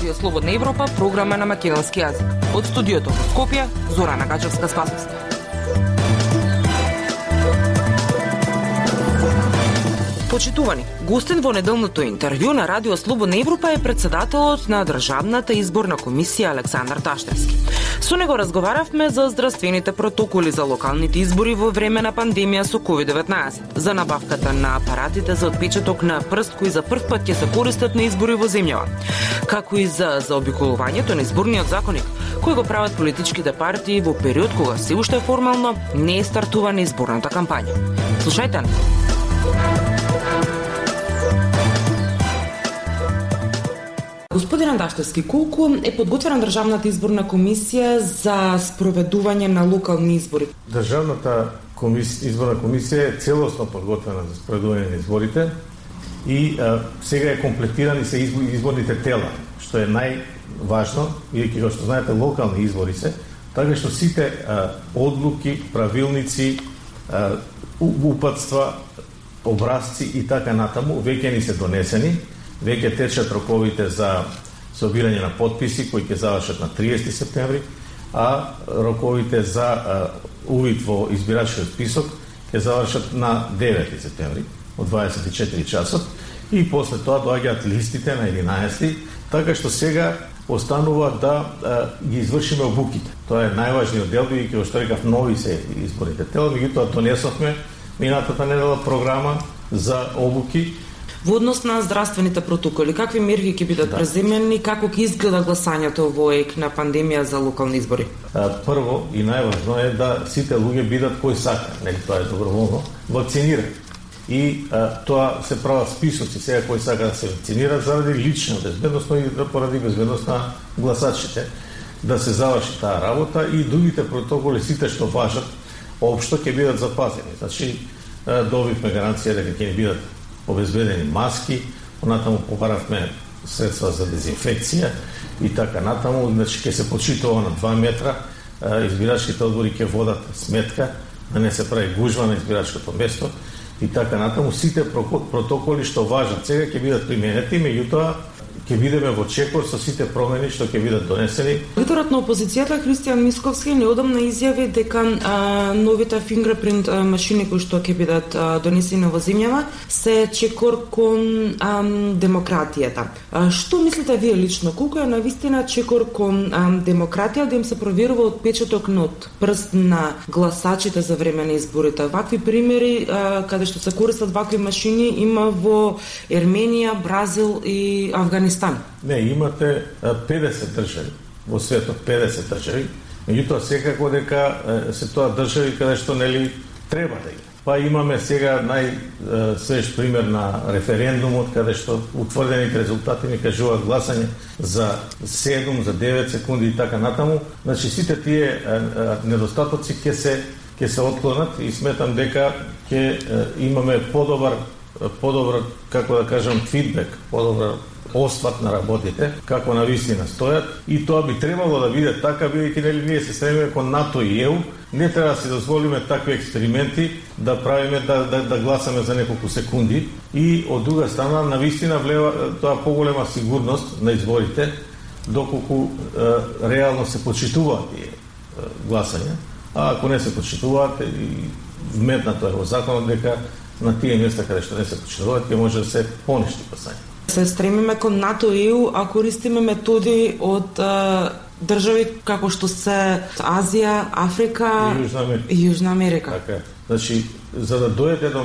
Радио Слободна Европа, програма на македонски јазик. Од студиото во Скопје, Зорана Гаџевска-Спасовска. Почитувани, гостин во неделното интервју на Радио Слободна Европа е председателот на Државната изборна комисија Александар Таштевски. Со него разговаравме за здравствените протоколи за локалните избори во време на пандемија со COVID-19, за набавката на апаратите за отпечаток на прст кои за прв пат ќе се користат на избори во земјава, како и за заобиколувањето на изборниот законник, кој го прават политичките партии во период кога се уште формално не е стартувана изборната кампања. Слушајте. Господин Андашевски, колку е подготвена Државната изборна комисија за спроведување на локални избори? Државната изборна комисија е целосно подготвена за спроведување на изборите и сега е комплетирани се изборните тела, што е најважно, бидејќи како што знаете локални избори се, така што сите одлуки, правилници, упатства, образци и така натаму веќе ни се донесени. Веќе течат роковите за собирање на подписи кои ќе завршат на 30 септември, а роковите за увид во избирачкиот список ќе завршат на 9 септември од 24 часот и после тоа доаѓаат листите на 11, така што сега останува да ги извршиме обуките. Тоа е најважниот дел, бидејќи што рекав нови се изборните тела, меѓутоа донесовме минатата недела програма за обуки. Во однос на здравствените протоколи, какви мерки ќе бидат преземени, како ќе изгледа гласањето во ек на пандемија за локални избори? Прво и најважно е да сите луѓе бидат кои сака, нели тоа е доброволно, вакцинирани. И тоа се прават списоци сега кои сака да се вакцинират заради лична безбедност и поради безбедност на гласачите, да се заврши таа работа и другите протоколи сите што важат општо ќе бидат запазени. Значи добивме гаранција дека ќе ни бидат обезбедени маски, понатаму побаравме средства за дезинфекција и така натаму, значи ќе се почитува на 2 метра, избирачките одбори ќе водат сметка, да не се прави гужва на избирачкото место и така натаму. Сите протоколи што важат сега ќе бидат применети, меѓутоа ќе бидеме во чекор со сите промени што ќе бидат донесени. Лидерот на опозицијата Христијан Мисковски неодамна изјави дека новите фингерпринт машини кои што ќе бидат донесени во земјава се чекор кон демократијата. Што мислите вие лично? Колку е навистина чекор кон демократија да им се проверува отпечаток на прст на гласачите за време на изборите? Вакви примери каде што се користат вакви машини има во Ерменија, Бразил и Авганистан. Не, имате 50 држави во светот, 50 држави. Меѓутоа секако дека се тоа држави каде што нели треба да има. Па имаме сега најсвеж пример на референдумот каде што утврдените резултати ни кажуваат гласање за 7, за 9 секунди и така натаму. Значи сите тие недостатоци ќе се отклонат и сметам дека ќе имаме подобар како да кажам фидбек, подобар осват на работите, како на вистина стојат и тоа би требало да биде така, бидејќи нели ние се стремиме кон НАТО и ЕУ, не треба да си дозволиме такви експерименти да правиме да гласаме за неколку секунди и од друга страна на вистина влева тоа поголема сигурност на изборите доколку реално се почитуваат тие гласања, а ако не се почитуваат и вметнато е во законот дека на тие места каде што не се почитуваат ќе може да се поништи гласање. Се стремиме кон НАТО и ЕУ, а користиме методи од држави како што се Азија, Африка и Јужна Америка. Така е. Значи, за да дојде до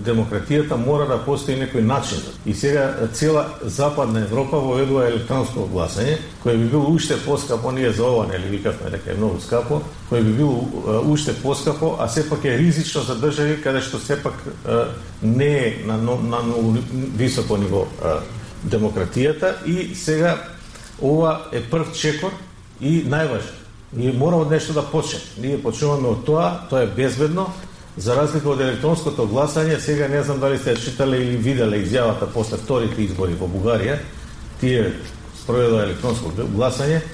демократијата мора да постои некој начин. И сега цела Западна Европа воведува електронско гласање, кој би било уште поскапо, ние за ова нели викавме дека е многу скапо, кој би било уште поскапо, а сепак е ризично за држави каде што сепак не е на многу високо ниво демократијата и сега ова е прв чекор и најважно. Ние мора од нешто да почнеме. Ние почнуваме од тоа е безбедно, за разлика од електронското гласање. Сега не знам дали сте читале или виделе изјавата после вторите избори во Бугарија, тие спроведува електронско гласање,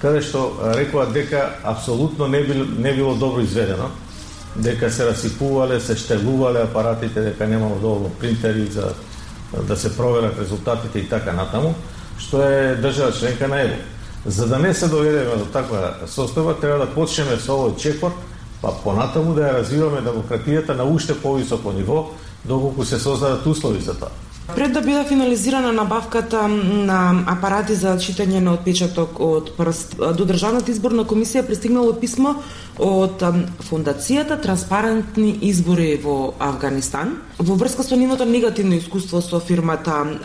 каде што рекоа дека апсолутно не било добро изведено, дека се расипувале, се штелувале апаратите, дека немало доволно принтери за да се проверат резултатите и така натаму, што е држава членка на ЕВО. За да не се доведеме до таква состојба, треба да почнеме со овој чекор, па понатаму да ја развиваме демократијата на уште повисоко ниво, доколку се создадат услови за тоа. Пред да биде финализирана набавката на апарати за читање на отпечаток од прст, до Државната изборна комисија пристигнало писмо од Фондацијата Транспарентни избори во Авганистан во врска со нивното негативно искуство со фирмата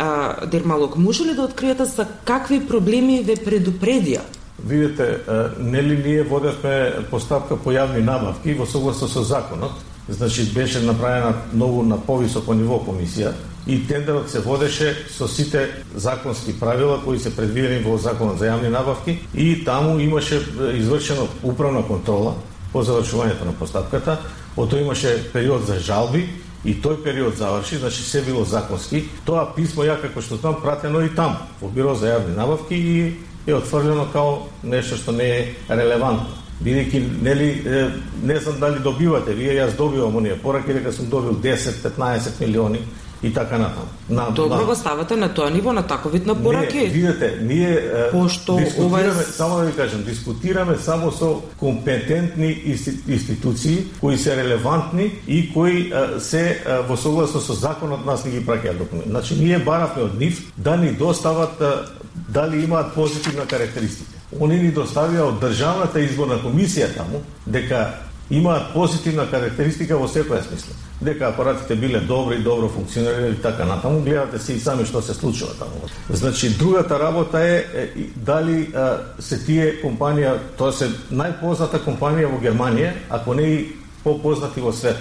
Дермалог. Може ли да откриете за какви проблеми ве предупредија? Видете, нели ние водевме постапка по јавни набавки во согласно со законот, значи беше направена многу на повисоко ниво комисија и тендерот се водеше со сите законски правила кои се предвидени во Законот за јавни набавки и таму имаше извршено управна контрола по завршувањето на постапката, потоа имаше период за жалби и тој период заврши, значи се било законски. Тоа писмо ја како што знам пратено и таму во Биро за јавни набавки и е отфрлено као нешто што не е релевантно. Бидејќи, нели, не знам дали добивате, вие, јас добивам оние пораки, дека сум добил 10-15 милиони и така натаму. Добро го ставате на тоа ниво, на таков вид на пораки? Не, видете, ние дискутираме, ова само да ви кажам, дискутираме само со компетентни институции кои се релевантни и кои се во согласно со законот нас не ги праќаат документи. Значи, ние баравме од нив да ни достават дали имаат позитивна карактеристика. Они ни доставија од Државната изборна комисија таму дека имаат позитивна карактеристика во секоја смисла. Дека апаратите биле добри, добро функционирале и така натаму. Гледате се и сами што се случува таму. Значи, другата работа е дали се тие компанија, тоа се најпозната компанија во Германија, ако не и попознати во свет.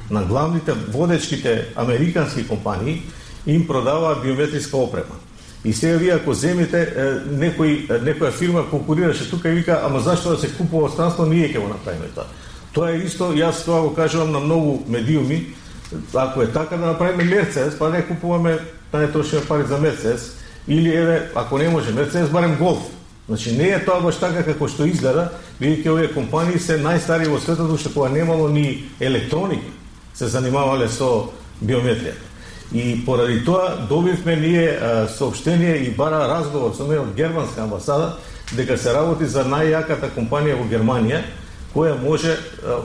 На главните водечките американски компании им продаваат биометриска опрема. И сега вие ако земете некоја фирма конкурираше тука и вика, ама зашто да се купува од странство, ние ќе го направиме тоа. Тоа е исто, јас тоа го кажувам на многу медиуми, ако е така да направиме Мерцедес, па не купуваме, да не трошиме пари за Мерцедес, или еве, ако не може Мерцедес, барем Голф. Значи не е тоа баш така како што изгледа, бидејќи овие компании се најстари во светот, што кога немало ни електроника, се занимавале со биометријата. И поради тоа добивме ние соопштение и бара разговор со мене од германска амбасада дека се работи за најјаката компанија во Германија која може,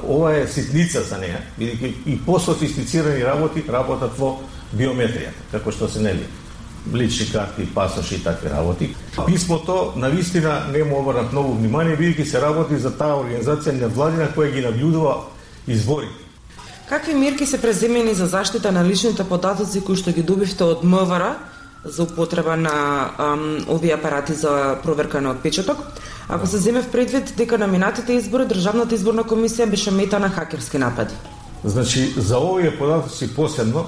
ова е ситница за неја, бидејќи и пософистицирани работат во биометријата, како што се нели лични карти, пасоши и такви работи. Писмото навистина не му обрнат многу внимание, бидејќи се работи за таа организација невладина која ги наблюдува изборите. Какви мерки се преземени за заштита на личните податоци кои што ги добивте од МВР за употреба на овие апарати за проверка на отпечаток? Ако се земе в предвид дека на минатите избори Државната изборна комисија беше мета на хакерски напади. Значи, за овие податоци посебно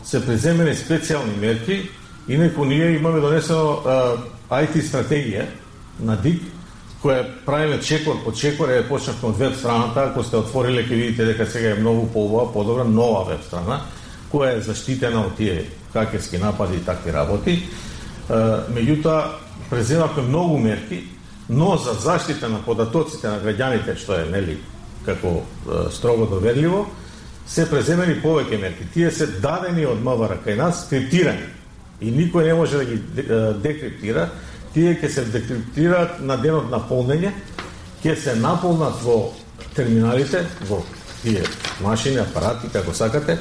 се преземени специјални мерки, инаку ние имаме донесено IT стратегија на ДИК, која правиме чекор по чекор, почнавме од веб страната, ако сте отвориле ќе видите дека сега е многу подобра нова веб страна, која е заштитена од тие хакерски напади и такви работи. Меѓутоа, преземавме многу мерки, но за заштита на податоците на граѓаните, што е нели како строго доверливо, се преземени повеќе мерки. Тие се дадени од МВР кај нас, криптирани. И никој не може да ги декриптира. Тие ќе се декриптираат на денот на полнење, ќе се наполнат во терминалите, во тие машини, апарати, како сакате,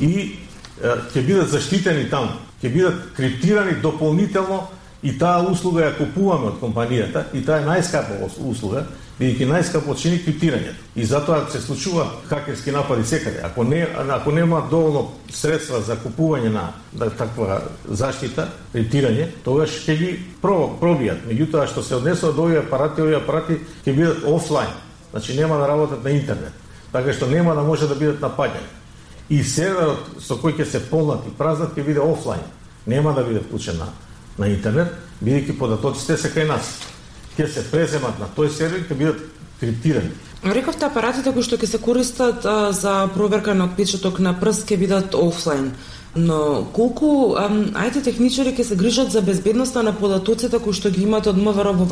и ќе бидат заштитени таму, ќе бидат криптирани дополнително и таа услуга ја купуваме од компанијата и таа е најскапа услуга, бидејќи најскапо чини криптирањето. И затоа се случува хакерски напади секаде. Ако нема доволно средства за купување на таква заштита, криптирање, тогаш ќе ги пробијат. Меѓутоа што се однесува до овие апарати ќе бидат офлайн. Значи нема да работат на интернет. Така што нема да може да бидат напаѓани. И серверот со кој ќе се полнат и празнат ќе биде офлайн. Нема да биде вклучен на интернет, бидејќи податоците се кај нас. Ќе се преземат на тој сервер, ќе бидат криптирани. Рековте апаратите кои што ќе се користат за проверка на отпечаток на прст ќе бидат офлайн. Но колку IT техничари ќе се грижат за безбедноста на податоците кои што ги имате од МВР во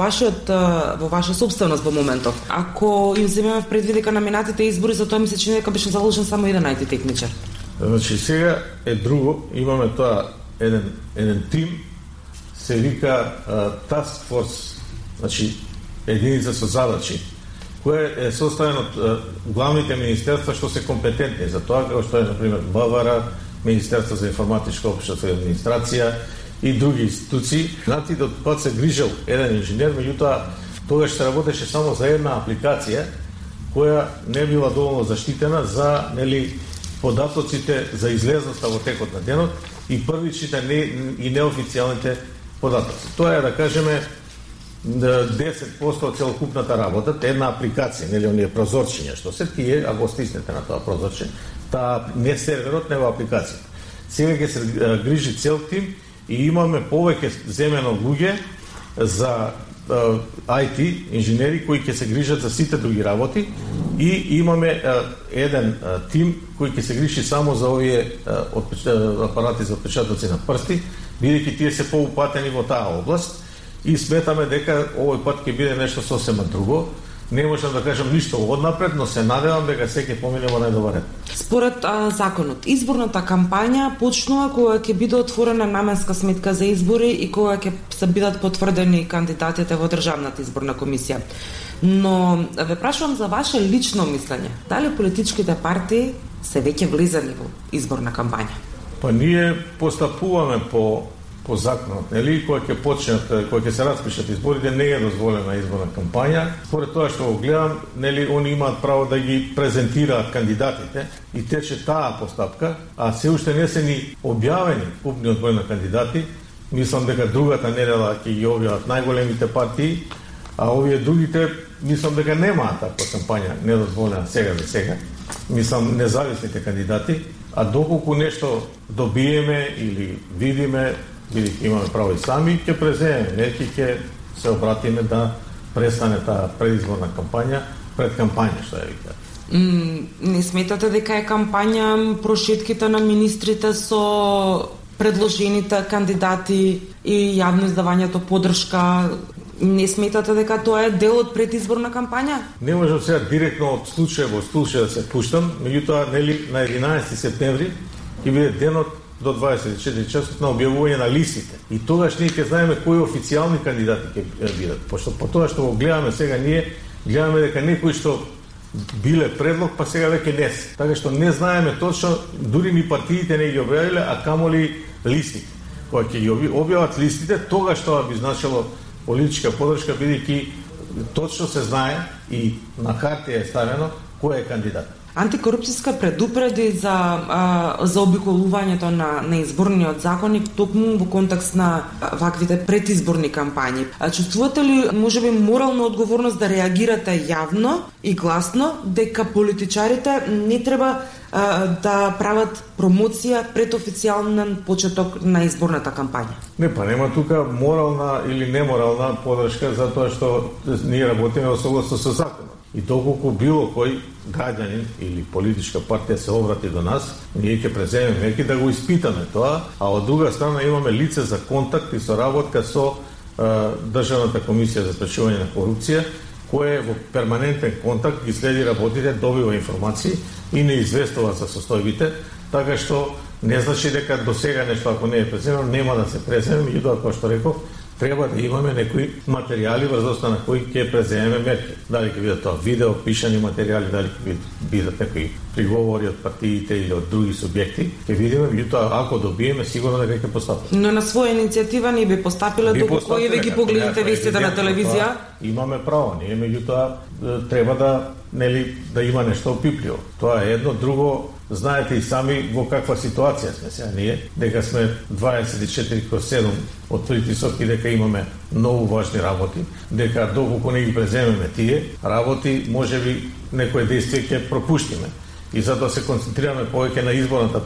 ваша собственост во моментов? Ако им земеме в предвид дека на минатите избори, за тоа ми се чини дека беше заложен само еден IT техничар. Значи сега е друго, имаме тоа еден тим се вика Task Force, значи единица со задачи, која е составена од главните министерства што се компетентни за тоа, како што е, например, БВР, Министерство за информатичка општество и администрација и други институции. Знаете, кога се грижел еден инженер, меѓутоа тогаш се работеше само за една апликација која не била доволно заштитена за податоците за излезноста во текот на денот и првичните и неофицијалните податоци. Тоа е, да кажеме, 10% од целокупната работа, една апликација, оние прозорчиња, што се тие, ако стиснете на тоа прозорче, таа не серверот, него апликацијата. Сега ќе се грижи цел тим и имаме повеќе земено луѓе за IT, инженери, кои ќе се грижат за сите други работи и имаме еден тим кој ќе се грижи само за овие апарати за отпечатоци на прсти, бидејќи тие се поупатени во таа област и сметаме дека овој пат ќе биде нешто сосема друго. Не можам да кажам ништо однапред, но се надевам дека секој помине во најдобар ред. Според законот, изборната кампања почнува кога ќе биде отворена наменска сметка за избори и кога ќе се бидат потврдени кандидатите во Државната изборна комисија. Но ве прашувам за ваше лично мислење. Дали политичките партии се веќе влезани во изборна кампања? Па ние постапуваме по законот, нели, кога ќе почнат, кога ќе се распишат изборите, не е дозволена изборна кампања. Според тоа што го гледам, нели, они имаат право да ги презентираат кандидатите и тече таа постапка, а се уште не се ни објавени купниот број на кандидати. Мислам дека другата недела ќе ги објават најголемите партии, а овие другите мислам дека немаат таква кампања недозволена сега за сега. Мислам независните кандидати, а доколку нешто добиеме или видиме, бидејќи имаме право и сами, ќе преземеме, неки ќе се обратиме да престане таа предизборна кампања пред кампања, што ја вика. Не сметате дека е кампања прошетките на министрите со предложените кандидати и јавно издавањето поддршка? Не сметате дека тоа е дел од предизборна кампања? Не можам сега директно од случај во случај да се пуштам, меѓутоа, нели, на 11 септември ќе биде денот до 24 часот на објавување на листите. И тогаш ние ќе знаеме кои официјални кандидати ќе бидат. Пошто по тоа што го гледаме сега, ние гледаме дека некои што биле предлог, па сега веќе не се. Така што не знаеме точно, дури ни партиите не ги објавиле, а камоли листите. Кога ќе ги објават листите, тогаш тоа би значило политичка поддршка, бидејќи точно се знае и на хартија е ставено кој е кандидат. Антикорупцијска предупреди за обиколувањето на изборниот законник токму во контекст на ваквите предизборни кампањи. Чувствувате ли можеби морална одговорност да реагирате јавно и гласно дека политичарите не треба да прават промоција пред официјален почеток на изборната кампања? Не, па нема тука морална или неморална поддршка за тоа што ние работиме во согласно со законот. И доколку било кој граѓанин или политичка партија се обрати до нас, ние ќе преземеме мерки да го испитаме тоа, а од друга страна имаме лице за контакт и соработка со Државната комисија за спречување на корупција, кој е во перманентен контакт, ги следи работите, добива информации и не известува за состојбите, така што не значи дека до сега нешто ако не е преземено, нема да се преземе, меѓутоа, како што реков, треба да имаме некои материјали врз основа на кои ќе преземеме мерки. Дали ќе бидат тоа видео, пишани материјали, дали ќе бидат некои приговори од партиите или од други субјекти, ќе видиме, меѓутоа ако добиеме, сигурно дека ќе постапиме. Но на своја иницијатива не би постапиле доколку и ви ги погледнете вестите на телевизија? Имаме право, ние меѓутоа треба да има нешто опипливо. Тоа е едно, друго. Знаете и сами во каква ситуација сме сега ние, дека сме 24/7 од притисок и дека имаме многу важни работи, дека доколку не ги преземеме тие работи, можеби некој действие ќе пропуштиме. И затоа се концентрираме повеќе на изборната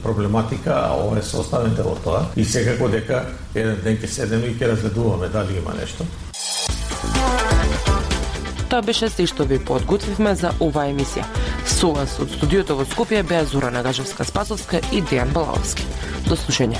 проблематика, а ова е составен дел од тоа. И секако дека еден ден ќе седеме и ќе разгледуваме дали има нешто. Тоа беше се што ви подготвивме за оваа емисија. Со вас од студиото во Скопје беа Зора Нагажевска-Спасовска и Дејан Балаовски. До слушање.